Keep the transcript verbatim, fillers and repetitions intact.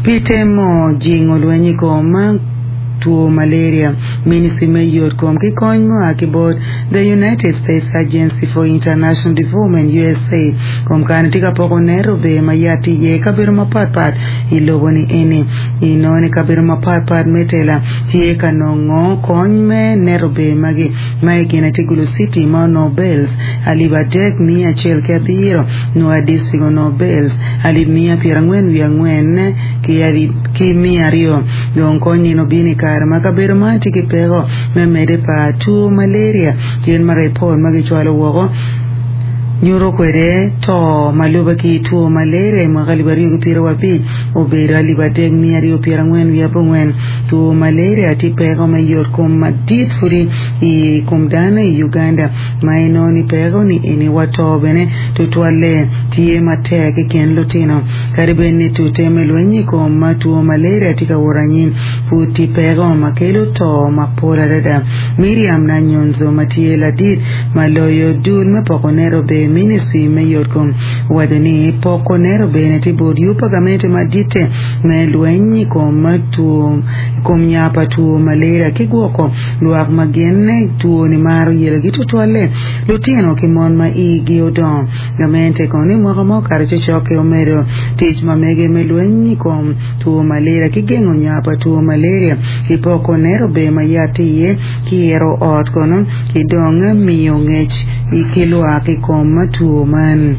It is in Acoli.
Pi temo jingo lweny i kom two malaria Ministry me yot kom ki kony mua ki bot The United States Agency for International Development USAID kom kany tye ka poko net ober ma yat tye iye i kabedo mapatpat i lobo ni eni inongo ni kabedo mapatpat me tela tye ka nongo kony me net ober magi ma i kine tye Gulu City ma onongo bales alip adek miya acel ki abiro Nwoya District onongo bales alip miya pyerangwen wiye angwen ki alip ki miya aryo dong kony nino obino i kare ma kabedo man tye ki peko me medde pa two malaria kit ma ripot ma gicwalo woko nyuto kwede to ma lube ki two malaria i mwaka alip aryo ki pyeraryo abic obedo alip adek miya aryo pyerangwen wiye abongwen two malaria tye peko me yot kom madit pudi i kom dano i Uganda ma inongo ni peko ni eni wa to bene tutwalle tye matek i kin lutino kadi bed ni tute me lweny i kom two malaria tye ka wot anyim pud tye peko ma kelo to mapol adada Miriam Nanyonzo ma tye ladit ma loyo dul me poko net ober ministry me yot kom owaco ni poko net ober tye bot yub pa gamente maditte me lweny i kom two i kom nya pa two malaria ki gwoko lwak ma gin two ni maro yelogi tutwalle lutino ki mon ma igi odongo gamente kono ni mwaka ma okato cokcok-ki omedo tic ma mege me lweny i kom two malaria ki gengo nya pa two malaria ki poko net ober ma yat tye iye ki iro ot kono ki dong miyo ngec ki lwak i kom two man.